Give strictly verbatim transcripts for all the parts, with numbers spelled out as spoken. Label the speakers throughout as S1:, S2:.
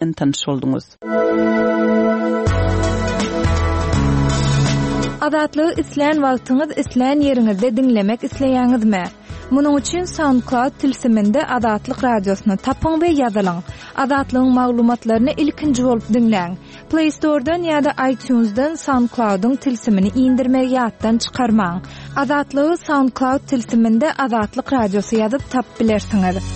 S1: Tanyş bolduňyz.
S2: Azatlygy islän wagtyňyz, islän ýeriňizde diňlemek isleýäňizmi? Munuň üçin SoundCloud tilsiminde Azatlyk radiosyny tapyň we ýazylyň. Azatlygyň maglumatlaryny ilkinji bolup diňläň. Play Store'dan ýa-da iTunes'dan SoundCloud'yň tilsimini indirmegi ýatdan çykarmaň. Azatlygy SoundCloud tilsiminde Azatlyk radiosy ýazyp tapyp bilersiňiz.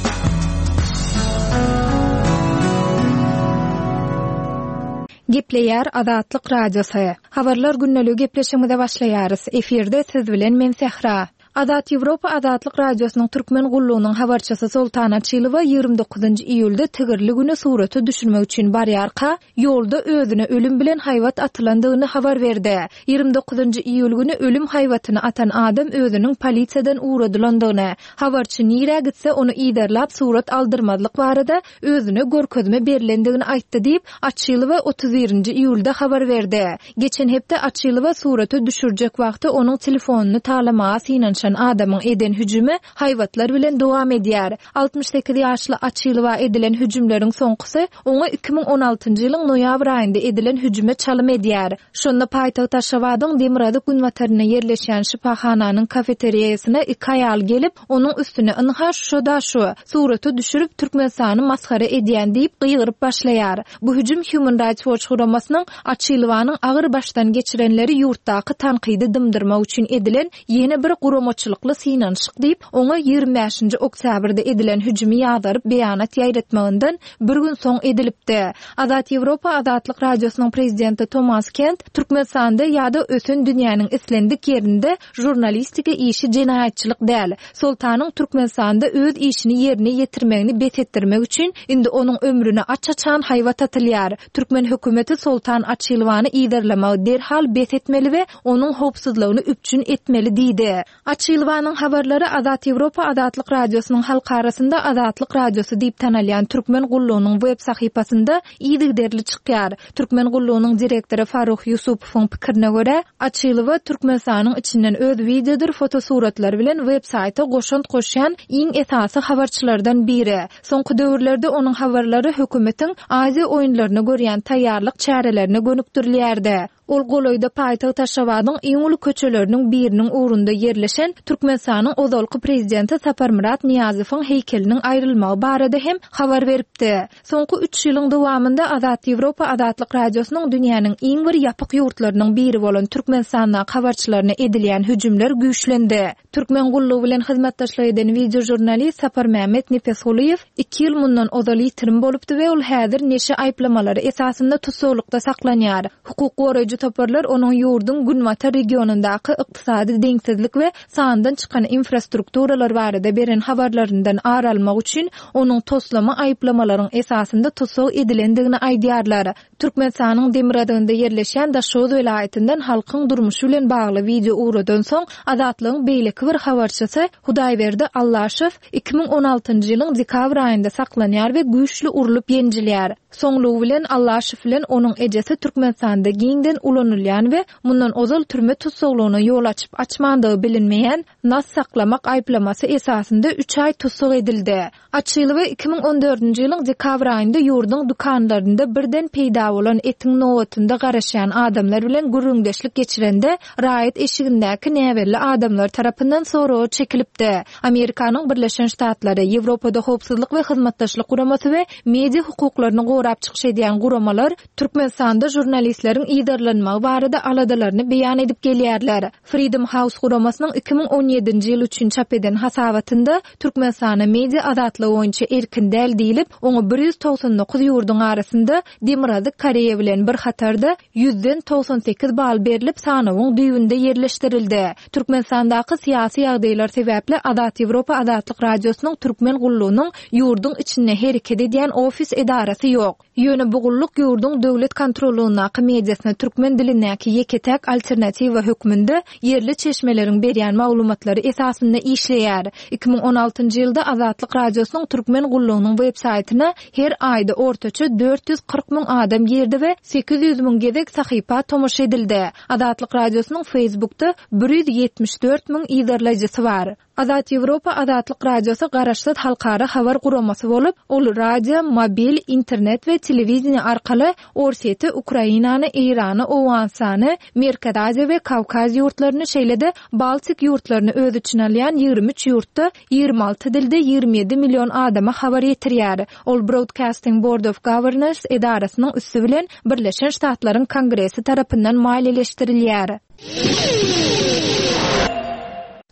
S2: Gepleýär Azatlyk radiosy. Habarlar gündeligi gepleşigimize başlaýarys. Efirde siz bilen men Sehra. Azat Ýewropa Azatlyk radiosynyň Türkmen gullugynyň habarçysy Soltan Açylowa ýigrimi dokuzynjy iýulda tigirli güni surata düşürmek üçin barýarka, ýolda özüne ölüm bilen haýbat atylandygyny habar berdi. Ýigrimi dokuzynjy iýul güni ölüm haýbatyny atan adam özüniň polisiýadan ugradylandygyny, habarçy nirä gitse ony yzarlap surat aldyrmazlyk barada özüne görkezme berlendigini aýtdy diýip, Açylowa otuz birinji iýulda habar berdi. Geçen hepde Açylowa surata düşürjek wagty onuň telefonyny talamaga synanyşan adamyň eden hüjümi haýbatlar bilen dowam edýär. Altmyş sekiz ýaşly Açylowa edilen hüjümleriň soňkusy oňa iki müň on altynjy ýylyň noýabr aýynda edilen hüjüme çalym edýär. Şonda paýtagt Aşgabadyň demirgazyk-günbatarynda ýerleşýän şypahananyň kafeteriýasyna iki aýal gelip, onuň üstüne ynha şo-da şu, surata düşürip Türkmenistany masgara edýän diýip gygyryp başlaýar. Bu hüjüm Human Rights Watch guramasynyň Açylowanyň agyr başdan geçirenleri ýurtdaky tankydy dymdyrmak üçin edilen ýene bir guramaçylykly synanyşyk diýip, oňa ýigrimi bäşinji oktýabrda edilen hüjümi ýazgaryp beýanat ýaýratmagyndan bir gün soň edilipdi. Azat Ýewropa Azatlyk Radiosynyň prezidenti Tomas Kent Türkmenistanda ýa-da ösen dünýäniň islendik ýerinde žurnalistika işi jenaýatçylyk däl. Soltanyň Türkmenistanda öz işini ýerine ýetirmegini bes etdirmek üçin indi onuň ömrüne aç-açan haýbat atylýar. Türkmen hökümeti Soltan Açylowany yzarlamagy derhal bes etmeli we onuň howpsuzlygyny üpjün etmeli diýdi. Açylowanyň habarlary Azat Ýewropa Azatlyk Radiosynyň halk arasynda Azatlyk Radiosy diýip tanalýan Türkmen gullugynyň web sahypasynda yzygiderli çykýar. Türkmen gullugynyň direktory Farruh Ýusupowyň pikirine görä, Açylowa Türkmenistanyň içinden öz wideodyr fotosuratlary bilen web saýta goşant goşýan iň esasy habarçylardan biri. Soňky döwürlerde onuň habarlary hökümetiň Aziýa oýunlaryna görýän taýýarlyk çärelerine gönükdirilýärdi. Ol golaýda paýtagt Aşgabadyň iň uly köçeleriniň biriniň ugrunda ýerleşen Türkmenistanyň ozalky prezidenti Saparmyrat Nyýazowyň heýkeliniň aýrylmagy barada hem habar beripdi. Soňky üç ýylyň dowamynda Azat Ýewropa Azatlyk Radiosynyň dünýäniň iň bir ýapyk ýurtlarynyň biri bolan Türkmenistandaky habarçylaryna edilýän hüjümler güýçlendi. Türkmen gullugy bilen hyzmatdaşlyk eden wideožurnalist Saparmämmet Nepesgulyýew iki ýyl mundan ozal ýitirim bolupdy we ol häzir neşe aýyplamalary esasynda tussaglykda saklanýar. Hukuk goraýjy toparlar onuň ýurduň günbatar regionyndaky ykdysady deňsizlik we sandan çykan infrastrukturalar barada beren habarlaryndan ar almak üçin onuň toslama aýyplamalaryň esasynda tussag edilendigini aýdýarlar. Türkmenistanyň demirgazygynda ýerleşýän Daşoguz welaýatyndan halkyň durmuşy bilen bagly wideo ugradan soň Azatlygyň beýleki bir habarçysy Hudaýberdi Allaşow iki müň on altynjy ýylyň dekabr aýynda saklanýar we güýçli urlup ýenjilýär. Soňlugy bilen Allaşow bilen onuň ejesi Türkmenistanda giňden ulanylýan we mundan ozal türme tussaglygyna ýol açyp açmandygy bilinmeýän nas saklamak aýyplamasy esasynda üç aý tussag edildi. Açylowa iki müň on dördünji ýylyň dekabr aýynda ýurduň dükanlarynda birden peýda bolan etiň nobatynda garaşýan adamlar bilen gürrüňdeşlik geçirende raýat eşigindäki näbelli adamlar tarapyndan soraga çekilipdi. Amerikanyň Birleşen Ştatlary, Ýewropada howpsuzlyk we hyzmatdaşlyk guramasy we media hukuklaryny gorap çykyş edýän guramalar Türkmenistanda žurnalistleriň yzarlanmagy barada aladalaryny beýan edip gelýärler. Freedom House guramasynyň iki müň on ýedinji ýyl üçin çap eden hasabatynda Türkmenistana media azatlygy boýunça erkin däl diýlip, oňa bir ýüz togsan dokuz ýurduň arasynda Demirgazyk Koreýa bilen bir hatarda ýüzden togsan sekiz bal berlip sanawyň düýbünde ýerleşdirildi. Türkmenistandaky syýasy ýagdaýlar sebäpli Azat Ýewropa Azatlyk Radiosynyň Türkmen gullugynyň ýurduň içinde hereket edýän ofis edarasy ýok. Ýöne bu gulluk ýurduň döwlet kontrollugyndaky mediasyna türkmen dilindäki ýeke-täk alternatiwa hökmünde ýerli çeşmeleriň berýän maglumatlary esasynda işleýär. iki müň on altynjy ýylda Azatlyk Radiosynyň Türkmen gullugynyň web saýtyna her aýda ortaça dört ýüz kyrk müň adam girdi we sekiz ýüz müň gezek sahypa tomaşa edildi. Azatlyk Radiosynyň Facebookda bir ýüz ýetmiş dört müň yzarlaýjysy bar. Azat Ýewropa Azatlyk Radiosy garaşsyz halkara habar guramasy bolup, ol radio, mobil, internet we telewideniýe arkaly Orsýeti, Ukrainany, Eýrany, Owganystany, Merkezi Aziýa we Kawkaz ýurtlaryny, şeýle-de Baltik ýurtlaryny öz içine alýan ýigrimi üç ýurtda ýigrimi alty dilde ýigrimi ýedi million adama habar ýetirýär. Ol Broadcasting Board of Governors edarasynyň üsti bilen Birleşen Ştatlaryň Kongresi tarapyndan maliýeleşdirilýär.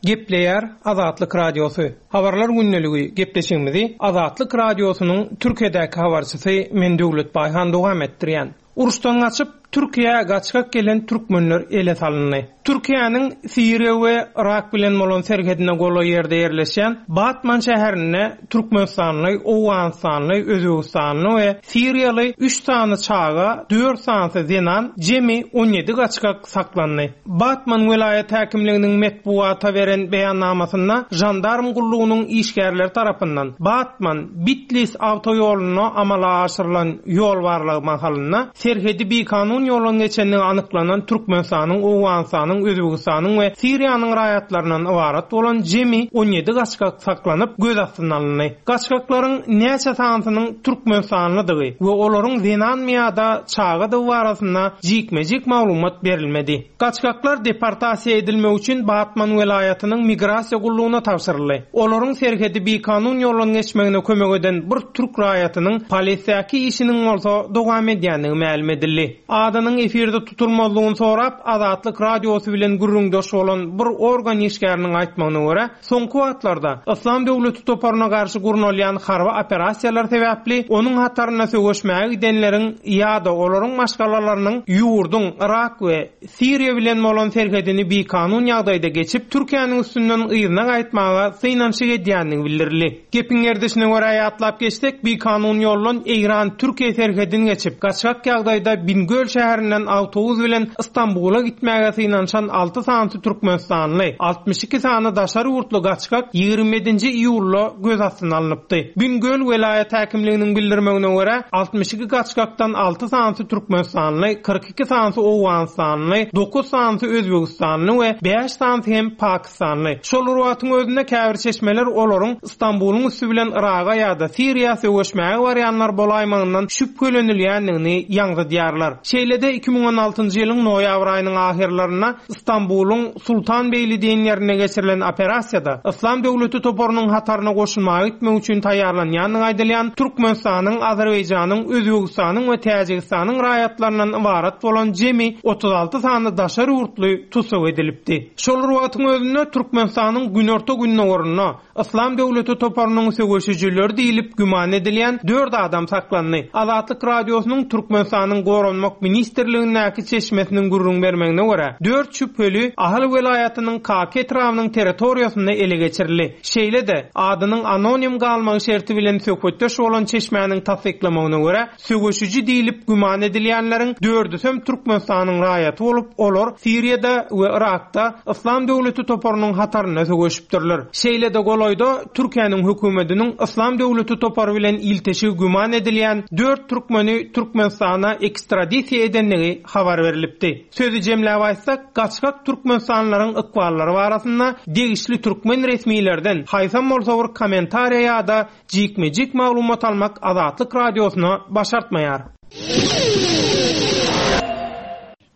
S1: Gepleýär Azatlyk Radiosy. Habarlar gündeligi gepleşigimizi Azatlyk Radiosynyň Türkiýedäki habarçysy men Döwlet Baýhan dowam etdirýän. Uruşdan gaçyp Türkiýä gaçgak gelen türkmenler ele salyndy. Türkiýäniň Siriýa we Irak bilen bolan serhedine golaý ýerde ýerleşýän Batman şäherinde Türkmenistanly, Owganystanly, Özbegistanly we Siriýaly üç sany çaga, dört sany zenan, jemi on ýedi gaçgak saklandy. Batman welaýat häkimliginiň metbuata beren beýannamasynda jandarm gullugynyň işgärleri tarapyndan Batman Bitlis awtoýoluna amala aşyrylan ýol barlagy mahalynda serhedi bikanun ýoldan geçenligi anyklanan Türkmenistanyň, Owganystanyň, Özbegistanyň we Siriýanyň raýatlaryndan ybarat bolan jemi on ýedi gaçgak saklanyp göz astyna alyndy. Gaçgaklaryň näçe sanysynyň Türkmenistanlydygy we olaryň zenanmy ýa-da çagadygy barasynda jikme-jik maglumat berilmedi. Gaçgaklar deportasiýa edilmek üçin Batman welaýatynyň migrasiýa gullugyna tabşyryldy. Olaryň serhedi bikanun ýoldan geçmegine kömek eden bir türk raýatynyň polisiýaky işiniň bolsa dowam edýändigi mälim edildi. Adynyň efirde tutulmazlygyny sorap Azatlyk Radiosy bilen gürrüňdeş bolan bir organ işgäriniň aýtmagyna görä, soňky wagtlarda Yslam döwleti toparyna garşy gurnalýan harby operasiýalar sebäpli onuň hataryna söweşmäge gidenleriň ýa-da olaryň maşgalalarynyň ýurduň Irak we Siriýa bilen bolan serhedini bikanun ýagdaýda geçip, Türkiýäniň üstünden yzyna gaýtmaga synanyşyk edýändigi bildirildi. Gepiň gerdişine görä ýatlap geçsek, bikanun ýoldan Eýran-Türkiýe serhedini geçip, gaçgak ýagdaýda Bingöl şäherinden awtobus bilen Istanbula gitmäge synanyşan alty sany Türkmenistanly, altmyş iki sany daşary ýurtly gaçgak ýigrimi ýedinji iýulda göz astyna alnypdy. Bingöl welaýat häkimliginiň bildirmegine görä, altmyş iki gaçgakdan alty sany Türkmenistanly, kyrk iki sany Owganystanly, dokuz sany Özbegistanly we bäş sany hem Pakistanly. Şol bir wagtyň özünde käbir çeşmeler olaryň Istanbulyň üstü bilen Iraga ýa-da Siriýa söweşmäge barýanlar bolaýmagyndan şübhelenilýändigini ýaňzydýarlar. Şeýle-de iki müň on altynjy ýylyň noýabr aýynyň ahyrlarynda Istanbulyň Sultanbeýli diýen ýerinde geçirilen operasiýada Yslam döwleti toparynyň hataryna goşulmaga gitmek üçin taýýarlanýandygy aýdylýan Türkmenistanyň, Azerbaýjanyň, Özbegistanyň we Täjigistanyň raýatlaryndan ybarat bolan jemi otuz alty sany daşary ýurtly tussag edilipdi. Şol bir wagtyň özünde Türkmenistanyň günorta gündogarynda Yslam döwleti toparynyň söweşijileri diýlip güman edilýän dört adam saklandy. Azatlyk Radiosynyň Türkmenistanyň Goranmak Ministrligindäki çeşmesiniň gürrüň bermegine görä, dört şübheli Ahal welaýatynyň Kaka etrabynyň territoriýasynda ele geçirildi. Şeýle-de, adynyň anonim galmagy şerti bilen söhbetdeş bolan çeşmäniň tassyklamagyna görä, söweşiji diýlip güman edilýänleriň dördüsem Türkmenistanyň raýaty bolup, olar Siriýada we Irakda Yslam döwleti toparynyň hatarynda söweşipdirler. Şeýle-de golaýda Türkiýäniň hökümetiniň Yslam döwleti topary bilen ilteşigi güman edilýän dört türkmeni Türkmenistana ekstradisiýa edendigi habar berilipdi. Sözi jemläp aýtsak, gaçgak Türkmenistanlylaryň ykballary barasynda degişli türkmen resmilerden haýsam bolsa bir kommentariýa ýa-da jikme-jik maglumat almak Azatlyk Radiosyna başartmaýar.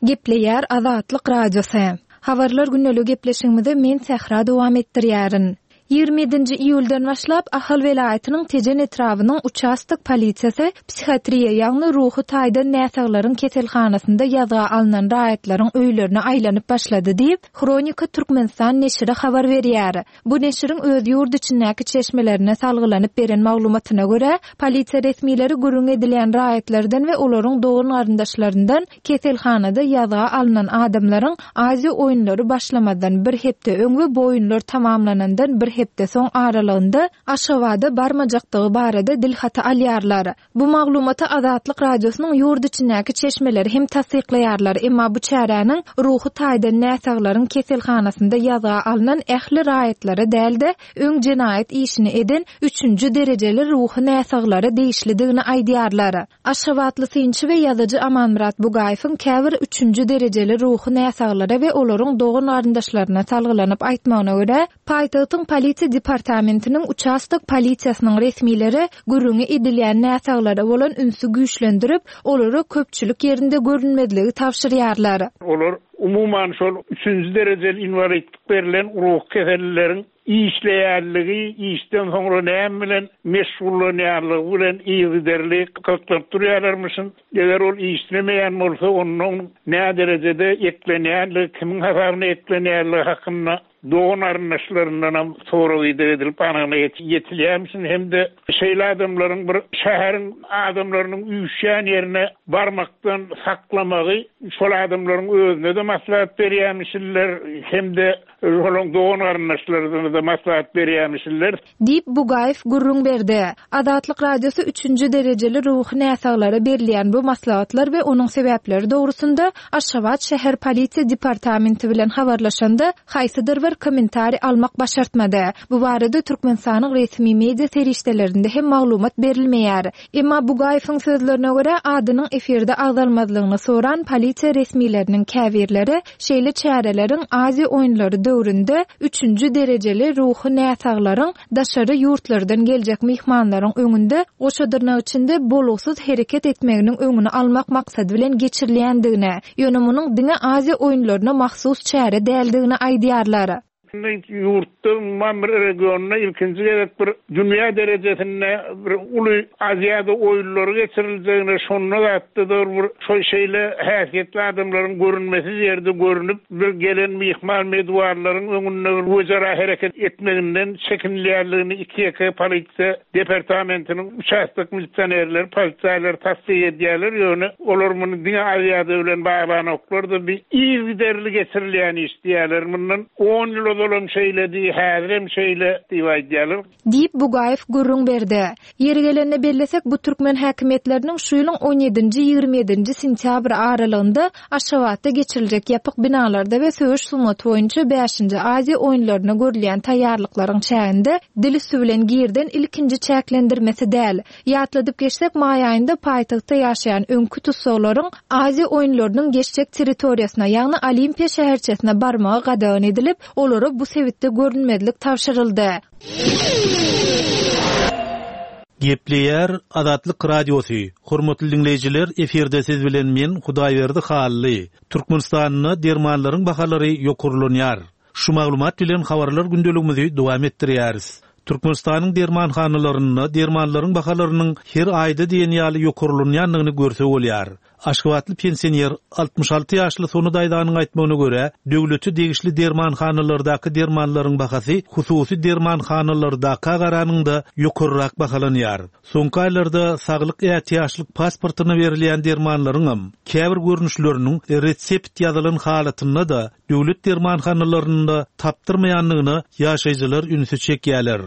S2: Gepleýär Azatlyk Radiosy. Habarlar gündeligi gepleşigimizi men Sähra dowam etdirýärin. Ýigrimi ýedinji iýuldan başlap Ahal welaýatynyň Tejen etrabynyň uçastok polisiýasy psihiatriýa, ýagny ruhy taýdan näsaglaryň keselhanasynda ýazga alnan raýatlaryň öýlerine aýlanyp başlady diýip, Hronika Türkmenistan neşiri habar berýär. Bu neşiriň öz ýurt içindäki çeşmelerine salgylanyp beren maglumatyna görä, polisiýa resmileri gürrüň edilýän raýatlardan we olaryň dogan garyndaşlaryndan keselhanada ýazga alnan adamlaryň Aziýa oýunlary başlamazdan bir hepde öň we bu oýunlar tamamlanandan bir hepde soň aralygynda Aşgabada barmajakdygy barada dilhaty alýarlar. Bu maglumaty Azatlyk Radiosynyň ýurt içindäki çeşmeleri hem tassyklaýarlar, emma bu çäräniň ruhy taýdan näsaglaryň keselhanasynda ýazga alnan ähli raýatlara däl-de, öň jenaýat işini eden üçünji derejeli ruhy näsaglara degişlidigini aýdýarlar. Aşgabatly synçy we ýazyjy Amanmyrat Bugaýewiň käbir üçünji derejeli ruhy näsaglara we olaryň dogan-garyndaşlaryna salgylanyp aýtmagyna görä, paýtagtyň polisiýa departamentiniň uçastok polisiýasynyň resmileri gürrüňi edilýän näsaglara bolan ünsi güýçlendirip, olara köpçülik ýerinde görünmezligi tabşyrýarlar.
S3: Olar umuman şol üçünji derejeli inwalidlik berlen ruhy kesellileriň işleýänligi, işden soňra näme bilen meşgullanýanlygy bilen yzygiderli gyzyklanyp durýarlarmyşyn. Eger ol işlemeýän bolsa, onda onuň näderejede eklenýänligi, kimiň hasabyna eklenýänligi hakynda dogan-garyndaşlaryndanam sorag-ideg edilip anygyna ýetilýärmişin hem-de şeýle adamlaryň bir şäheriň adamlarynyň üýşýän ýerine barmakdan saklamagy şol adamlaryň özüne-de maslahat berýärmişinler hem-de olaryň dogan-garyndaşlaryna-da maslahat berýärmişinler.
S2: Diýip, Bugaýew gürrüň berdi. Azatlyk Radiosy üçünji derejeli ruhy näsaglara berilýän bu maslahatlar we onuň sebäpleri dogrusynda Aşgabat şäher polisiýa departamenti bilen habarlaşanda, haýsydyr bir kommentariý almak başartmady. Bu barada Türkmenistanyň resmi media serişdelerinde hem maglumat berilmeýär. Emma Bugaýewiň sözlerine görä, adynyň efirde agzalmazlygyny soran polisiýa resmileriniň käbirleri şeýle çäreleriň Aziýa oýunlary döwründe üçünji derejeli ruhy näsaglaryň daşary ýurtlardan geljek myhmanlaryň öňünde goşa dyrnak içinde bolugsyz hereket etmeginiň öňüni almak maksady bilen geçirilýändigini, ýöne munuň diňe Aziýa oýunlaryna mahsus çäre däldigini aýdýarlar.
S3: Indi ýurtda, umuman bir regionda ilkinji gezek bir dünýä derejesinde bir uly Aziada oýunlary geçiriljegine, şonda zatda-da bir şo şeýle häsiýetli adamlaryň görünmesiz ýerde görnüp, bir gelen myhman meduarlaryň öňünde bir wejera hereket etmeginden çekinilýänligini iki-ýeke polisiýa departamentiniň uçastok milisionerleri, polisaýlary tassyk edýärler, ýöne olar muny diňe Aziada bilen baglanoklar-da, bir yzygiderli geçirilýän iş diýýärler. Mundan on ýyl ozalam şeýledi, häzirem şeýle diýip aýdýarlar.
S2: Diýip, Bugaýew gürrüň berdi. Ýeri gelende bellesek, bu türkmen häkimiýetleriniň şu ýylyň on ýedinji-ýigrimi ýedinji sentýabr aralygynda Aşgabatda geçiriljek ýapyk binalarda we söweş sungaty boýunça bäşinji Aziýa oýunlaryna görülýän taýýarlyklaryň çäginde dil üsti bilen girizen ilkinji çäklendirmesi däl. Ýatladyp geçsek, maý aýynda paýtagtda ýaşaýan öňki tussaglaryň Aziýa oýunlarynyň geçjek territoriýasyna, ýagny Olimpiýa şäherçesine barmagy gadagan edilip, olara bu sebitde görünmezlik tabşyryldy.
S4: Gepleýär Azatlyk Radiosy. Hormatly diňleýjiler, efirde siz bilen men Hudaýberdi Hally. Türkmenistanda dermanlaryň bahalary ýokarlanýar. Şu maglumat bilen habarlar gündeligimizi dowam etdirýäris. Türkmenistanyň dermanhanalarynda dermanlaryň bahalarynyň her aýda diýen ýaly ýokarlanýandygyny görse bolýar. Aşgabatly pensioner altmyş alty ýaşly Sona daýzanyň aýtmagyna görä, döwlete degişli dermanhanalardaky dermanlaryň bahasy hususy dermanhanalardaka garanyňda ýokarrak bahalanýar. Soňky aýlarda saglyk ätiýaçlyk pasportyna berilýän dermanlaryňam käbir görnüşleriniň resept ýazylan halatynda-da döwlet dermanhanalarynda tapdyrmaýandygyna ýaşaýjylar ünsi çekýärler.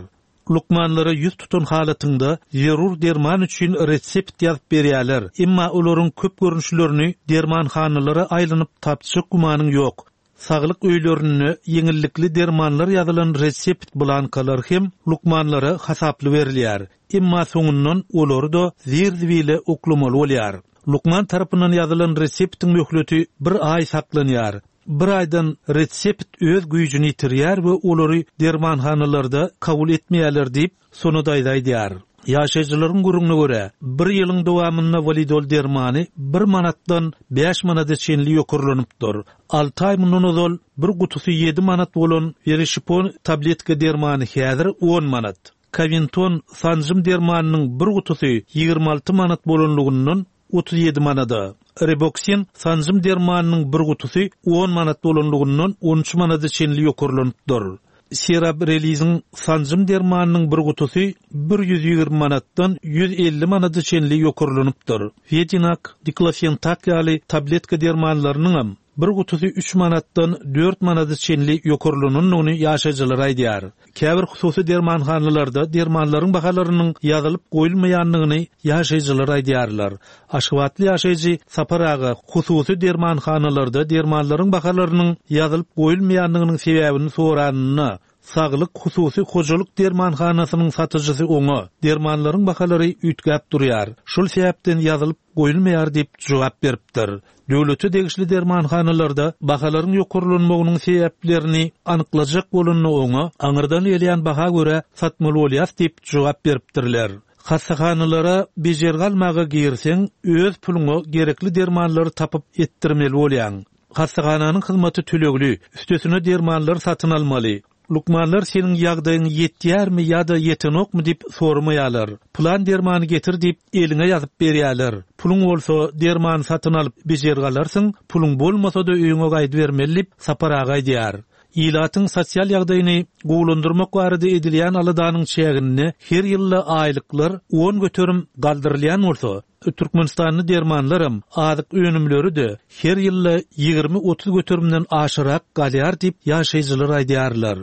S4: Lukmanlara ýüz tutan halatynda zerur derman üçin resept ýazyp berýärler. Emma olaryň köp görnüşlerini dermanhanalara aýlanyp tapjak gümanyň ýok. Saglyk öýlerinde ýeňillikli dermanlar ýazylan resept blankalar hem lukmanlara hasaply berilýär. Emma soňundan olary-da zir-zibile oklamaly bolýar. Lukman tarapyndan ýazylan reseptiň möhleti bir aý saklanýar. Bir aýdan resept öz güýjüni ýitirýär we olary dermanhanalarda kabul etmeýärler diýip, Sona daýza aýdýar. Ýaşaýjylaryň gürrüňine görä, bir ýylyň dowamynda walidol dermany bir manatdan bäş manada çenli ýokarlanypdyr. Alty aý mundan ozal bir gutusy ýedi manat bolan Verişipon tabletka dermany häzir on manat. Kavinton sanjym dermanynyň bir gutusy ýigrimi alty manat bolanlygyndan otuz ýedi manada. Reboksin sanjym dermanynyň bir gutusy on manat bolanlygyndan on üç manada çenli ýokarlanypdyr. Serabreliziň sanjym dermanynyň bir gutusy bir ýüz ýigrimi manatdan ýüz elli manada çenli ýokarlanypdyr. Vedinak, diklofentak ýaly tabletka dermanlarynyňam bir gutusy üç manatdan dört manada çenli ýokarlanandygyny ýaşaýjylar aýdýar. Käbir hususy dermanhanalarda dermanlaryň bahalarynyň ýazylyp goýulmaýandygyny ýaşaýjylar aýdýarlar. Aşgabatly ýaşaýjy Sapar aga hususy dermanhanalarda dermanlaryň bahalarynyň ýazylyp goýulmaýandygynyň sebäbini soranynda Saglyk hususy hojalyk dermanhanasynyň satyjysy oňa dermanlaryň bahalary üýtgäp durýar. Şol sebäpden ýazylyp goýulmaýar diýip jogap beripdir. Döwlete degişli dermanhanalarda bahalaryň ýokarlanmagynyň sebäplerini anyklajak bolanda oňa aňyrdan gelýän baha görä satmaly bolýar diýip jogap beripdirler. Hassahanalara bejergi almaga girseň, öz puluňa gerekli dermanlary tapyp etdirmeli bolýaň. Hassahananyň hyzmaty tölegli, üstesine dermanlary satyn almaly. Lukmanlar seniň ýagdaýyň ýetýärmi ýa-da ýetenokmy diýip sormaýarlar. Plan dermany getir diýip eliňe ýazyp berýärler. Puluň bolsa dermany satyn alyp bejergi alarsyň, puluň bolmasa-da öýüňe gaýdybermeli diýip Sapar aga aýdýar. Ilatyň sosial ýagdaýyny gowulandyrmak barada edilýän aladanyň çäginde her ýylda aýlyklar on göterim galdyrylýan bolsa, Türkmenistanda dermanlaram, azyk önümleri-de her ýylda ýigrimi otuz göterimden aşyrak galýar diýip ýaşaýjylar aýdýarlar.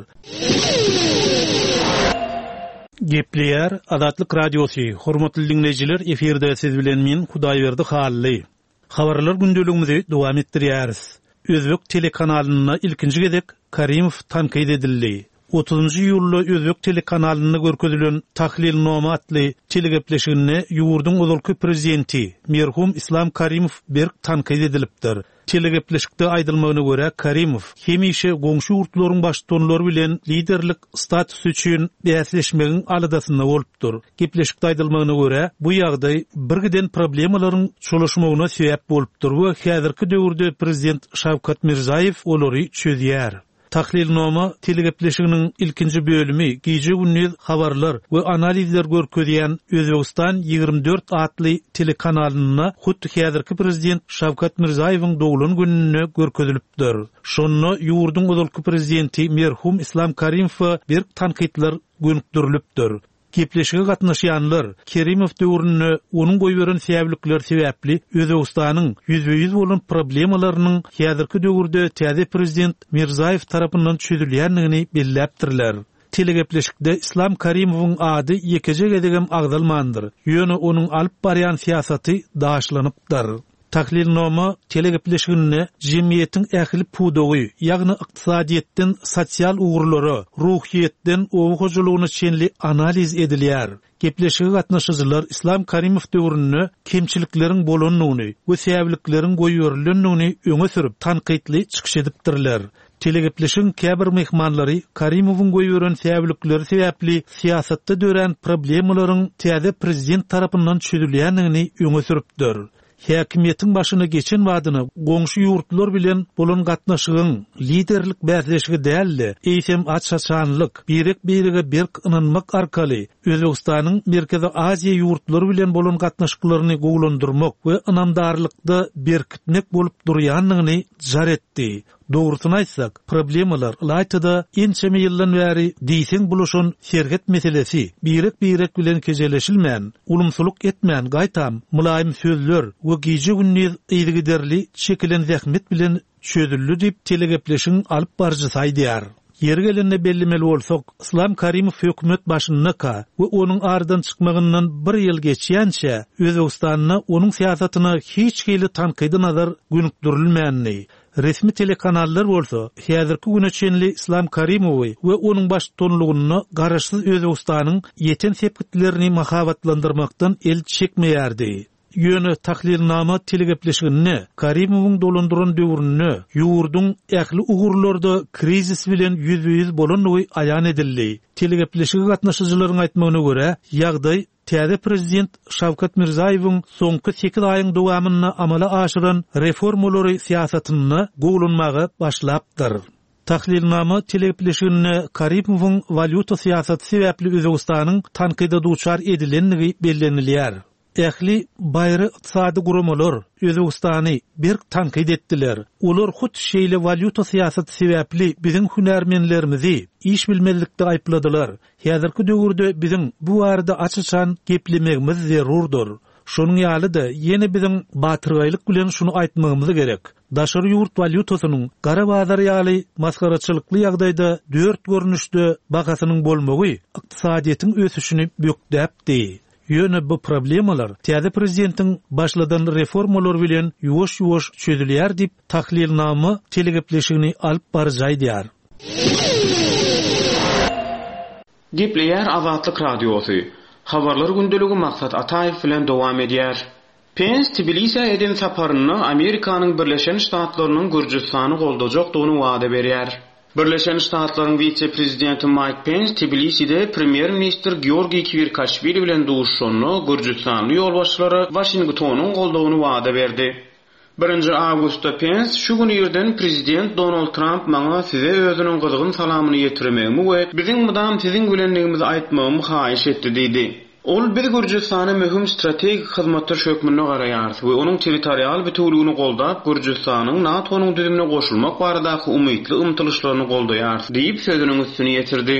S4: Gepleýär Azatlyk Radiosy, hormatly diňleýjiler, efirde siz bilen men Hudaýberdi Hally. Habarlar gündeligimizi dowam etdirýäris. Özbek telekanalynda ilkinji gezek Karimow tankyt edildi. Otuzynjy iýulda Özbek telekanalynda görkezilen Tahlilnoma atly telegepleşiginde ýurduň ozalky prezidenti merhum Islam Karimow berk tankyt edilipdir. Telegepleşikde aýdylmagyna görä, Karimow hemişe goňşy ýurtlaryň baştutanlary bilen liderlik statusy üçin bäsleşmegiň aladasynda bolupdyr. Gepleşikde aýdylmagyna görä, bu ýagdaý birgiden problemalaryň çolaşmagyna sebäp bolupdyr we häzirki döwürde prezident Şawkat Mirzaýew olary çözýär. Tahlilnoma telegepleşiginiň ilkinji bölümi gije-gündiz habarlar we analizler görkezýän Özbegistan ýigrimi dört atly telekanalynda hut häzirki prezident Şawkat Mirzaýewiň doglan gününde görkezilipdir. Şonda ýurduň ozalky prezidenti merhum Islam Karimowa berk tankytlar gönükdirilipdir. Gepleşige gatnaşýanlar Kerimow döwründe onuň goýberen säwlikleri sebäpli Özbegistanyň ýüzbe-ýüz bolan problemalarynyň häzirki döwürde täze prezident Mirzaýew tarapyndan çözülýändigini belläpdirler. Telegepleşikde Islam Karimowyň ady ýekeje gezegem agzalmandyr. Ýöne onuň alyp barýan syýasaty daşlanypdyr. Tahlilnoma telegepleşiginde jemgyýetiň ähli pudagy, ýagny ykdysadyýetden sosial ugurlara, ruhyýetden oba hojalygyna çenli analiz edilýär. Gepleşige gatnaşyjylar Islam Karimow döwründe kemçilikleriň bolandygyny we säwlikleriň goýberilendigini öňe sürüp tankytly çykyş edipdirler. Telegepleşigiň käbir myhmanlary Karimowyň goýberen säwlikleri sebäpli syýasatda dörän problemalaryň täze prezident tarapyndan çözülýändigini öňe sürüpdir. Häkimiýetiň başyna geçen badyna goňşy ýurtlar bilen bolan gatnaşygyň liderlik bäsleşigi däldi, eýsem aç-açanlyk, birek-birege berk ynanmak arkaly Özbegistanyň Merkezi Aziýa ýurtlary bilen bolan gatnaşyklaryny gowulandyrmak we ynamdarlykda berkitmek bolup durýandygyny jar etdi. Dogrusyny aýtsak, problemalar ylaýtada ençeme ýyldan bäri diýseň bulaşan serhet meselesi birek-birek bilen kejeleşilmän, ulumsylyk etmän gaýtam mylaýym sözler we gije-gündiz yzygiderli çekilen zähmet bilen çözüldi diýip telegepleşigiň alyp baryjysy aýdýar. Ýeri gelende bellemeli bolsak, Islam Karimow hökümet başyndaka we onuň aradan çykmagyndan bir ýyl geçýänçä Özbegistanda onuň syýasatyna hiç hili tankydy nazar gönükdirilmändi. Resmi telekanallar bolsa häzirki güne çenli Islam Karimowy we onuň baştutanlygynda garaşsyz Özbegistanyň ýeten sepgitlerini mahabatlandyrmakdan el çekmeýärdi. Ýöne tahlilnama telegepleşiginde Karimowyň dolandyran döwründe ýurduň ähli ugurlarda krizis bilen ýüzbe-ýüz bolandygy aýan edildi. Telegepleşige gatnaşyjylaryň aýtmagyna görä, ýagdaý täze prezident Şawkat Mirzaýewiň soňky sekiz aýyň dowamynda amala aşyran reformalary syýasatynda gowulanmaga başlapdyr. Tahlilnama telegepleşiginde Karimowyň walýuta syýasaty sebäpli Özbegistanyň tankyda duçar edilendigi bellenilýär. Ähli baýry ykdysady guramalar Özbegistany berk tankyt etdiler. Olar hut şeýle walýuta syýasaty sebäpli biziň hünärmenlerimizi iş bilmezlikde aýypladylar. Häzirki döwürde biziň bu barada aç-açan geplemegimiz zerurdyr. Şonuň ýaly-da ýene biziň batyrgaýlyk bilen şuny aýtmagymyz gerek. Daşary ýurt walýutasynyň gara bazar ýaly masgaraçylykly ýagdaýda dört görnüşde bahasynyň bolmagy ykdysadyýetiň ösüşini bökdäpdi. Ýöne bu problemalar täze prezidentiň başladan reformalar bilen ýuwaş-ýuwaş çözülýär diýip tahlilnama telegepleşigini alyp baryjy aýdýar.
S5: Gepleýär Azatlyk Radiosy. Habarlar gündeligi Maksat Ataýew bilen dowam edýär. Pens Tbilisä eden saparynda Amerikanyň Birleşen Ştatlarynyň Gürjüstany goldajakdygyny wada berýär. Birleşen Ştatlaryň wise-prezidenti Mike Pens Tbiliside premýer-ministr Georgiý Kwirkaşwili bilen duşuşanda Gürjüstanly ýolbaşçylara Waşingtonyň goldawyny wada berdi. Birinji awgustda Pens şu gün irden prezident Donald Tramp maňa size özüniň gyzgyn salamyny ýetirmegimi we biziň mydam siziň bilenligimizi aýtmagymy haýyş etdi diýdi. Ol biz Gürjüstana möhüm strategik hyzmatdaş hökmünde garaýarys we onuň territorial bütewligini goldap Gürjüstanyň NATO-nyň düzümine goşulmak baradaky umytly ymtylyşlaryny goldaýarys diýip sözüniň üstüni ýetirdi.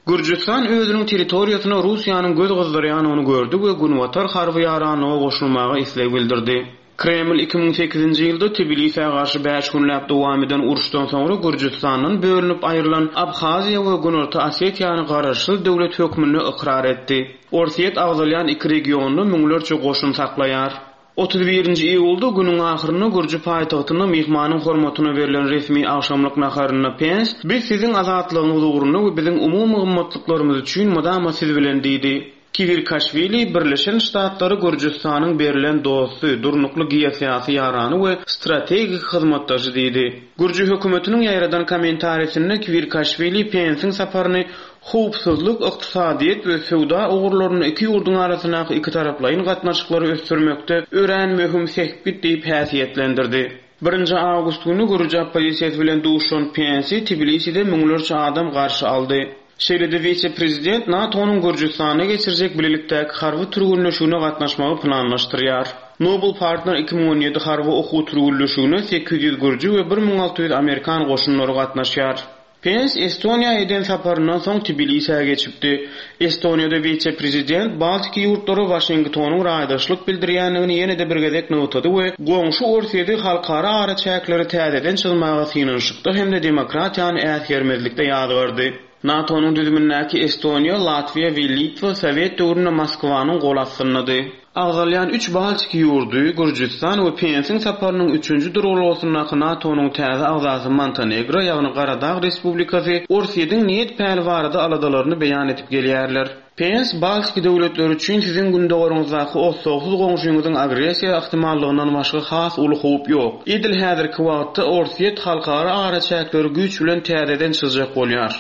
S5: Gürjüstan özüniň territoriýasyna Russiýanyň göz gyzdyrýanyny gördi we Günbatar harby ýaranlyga goşulmaga isleg bildirdi. Kreml iki müň sekizinji ýylda Tbilisä garşy bäş günläp dowam eden uruşdan soňra Gürjüstandan bölünip aýrylan Abhaziýa we Günorta Osetiýany garaşsyz döwlet hökmünde ykrar etdi. Orsýet agzalýan iki regionda müňlerçe goşun saklaýar. Otuz birinji iýulda günüň ahyrynda Gürjü paýtagtynda myhmanyň hormatyna berlen resmi agşamlyk naharynda Pens, Biz siziň azatlygyňyz ugrunda we biziň umumy gymmatlyklarymyz üçin mydama siz bilen diýdi. Kwirkaşwili Birleşen Ştatlary Gürjüstanyň berlen dosty, durnukly geosyýasy ýarany we strategik hyzmatdaşy diýdi. Gürjü hökümetiniň ýaýradan kommentarisinde Kwirkaşwili Pensiň saparyny howpsuzlyk, ykdysadyýet we söwda ugurlarynda iki ýurduň arasyndaky iki taraplaýyn gatnaşyklary ösdürmekde örän möhüm sepgit diýip häsiýetlendirdi. Birinji awgust güni Gürjü oppozisiýasy bilen duşan Pensi Tbiliside müňlerçe adam garşy aldy. Şeýle-de wise-prezident NATO-nyň Gürjüstanda geçirjek bilelikdäki harby türgünleşigine gatnaşmagy planlaşdyrýar. Noble Partner iki müň on ýedi harby okuw türgünleşigine sekiz ýüz gürjü we bir müň alty ýüz amerikan goşunlary gatnaşýar. Pens Estoniýa eden saparyndan soň Tbilisä geçipdi. Estoniýada wise-prezident Baltiki ýurtlary Waşingtonyň raýdaşlyk bildirýändigini ýene-de bir gezek nygtady we goňşy Orsýeti halkara araçäkleri täzeden çyzmaga synanyşykda hem-de demokratiýany äsgermezlikde ýazgardy. NATO-nyň düzümindäki Estoniýa, Latwiýa we Litwa Sowet döwründe Moskwanyň gol astyndady. Agzalýan üç Baltiki ýurdy, Gürjüstan we Pensiň saparynyň üçünji duralgasyndaky NATO-nyň täze agzasy Montenegro, ýagny Garadag Respublikasy, Orsýetiň niýet päli barada aladalaryny beýan edip gelýärler. Pens Baltiki döwletleri üçin siziň gündogaryňyzdaky oslagsyz goňşyňyzyň agressiýa ihtimallygyndan başga has uly howp ýok. Edil häzirki wagtda Orsýet halkara araçäkleri güýç bilen täzeden çyzjak bolýar.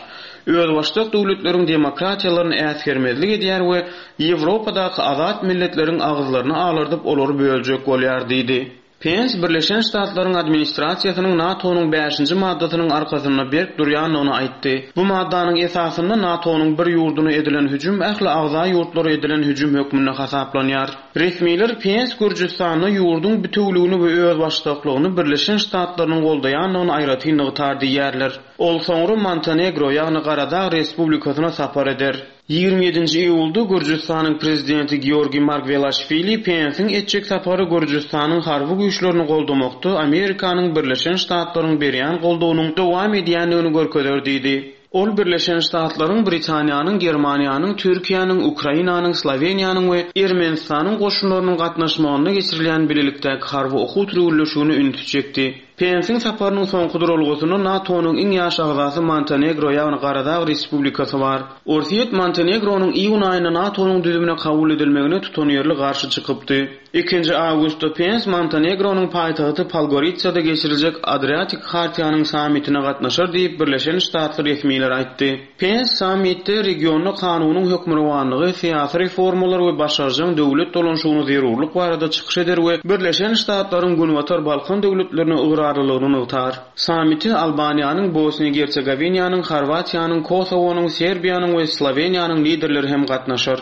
S5: Özbaşdak döwletleriň demokratiýalaryny äsgermezlik edýär we Ýewropadaky azat milletleriň agyzlaryny alardyp olary böljek bolýar diýdi. Pens Birleşen Ştatlaryň administrasiýasynyň NATO-nyň bäşinji maddasynyň arkasynda berk durýandygyny aýtdy. Bu maddanyň esasynda NATO-nyň bir ýurduna edilen hüjüm ähli agza ýurtlara edilen hüjüm hökmünde hasaplanýar. Resmiler Pens Gürjüstanda ýurduň bütewligini we özbaşdaklygyny Birleşen Ştatlarynyň goldaýandygyny aýratyn nygtar diýýärler. Ol soňra Montenegro, ýagny Garadag Respublikasyna sapar eder. Ýigrimi ýedinji iýulda Gürjüstanyň prezidenti Georgiý Margwelaşwili Pensiň etjek sapary Gürjüstanyň harby güýçlerini goldamakda Amerikanyň Birleşen Ştatlaryň berýän goldawynyň dowam edýändigini görkezer diýdi. Ol Birleşen Ştatlaryň, Britaniýanyň, Germaniýanyň, Türkiýäniň, Ukrainanyň, Sloweniýanyň we Ermenistanyň goşunlarynyň gatnaşmagynda geçirilýän bilelikdäki harby okuw türgünleşigine ünsi çekdi. Pensiň saparynyň soňky duralgasynda NATO-nyň iň ýaş agzasy Montenegro, ýagny Garadag Respublikasy bar. Orsýet Montenegronyň iýun aýynda NATO-nyň düzümine kabul edilmegine tutanýerli garşy çykypdy. Ikinji awgustda Pens Montenegronyň paýtagty Podgoritsada geçiriljek Adriatik Hartiýanyň sammitine gatnaşar diýip Birleşen Ştatly resmiler aýtdy. Pens sammitde regionda kanunyň hökmürowanlygy, syýasy reformalar we başarjaň döwlet dolanşygyny zerurlyk barada çykyş eder we Birleşen Ştatlaryň Günbatar Balkan döwletlerine ygrarlylygyny nygtar. Sammite Albaniýanyň, Bosniýa-Gersegowinyanyň, Horwatiýanyň, Kosowonyň, Serbiýanyň we Sloweniýanyň liderleri hem gatnaşar.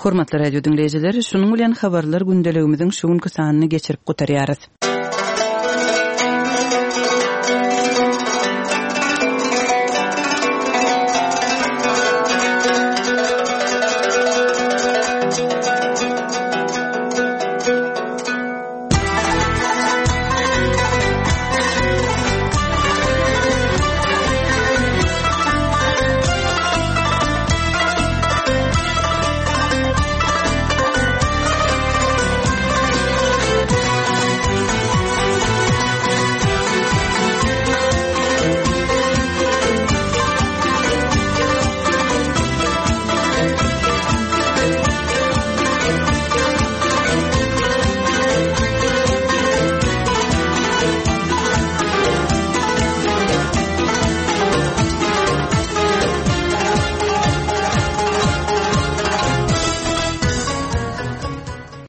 S6: Hormatly radio dinleýjiler, şunuň bilen habarlar gündeligimiziň şu günki sanyny geçirip gutarýarys.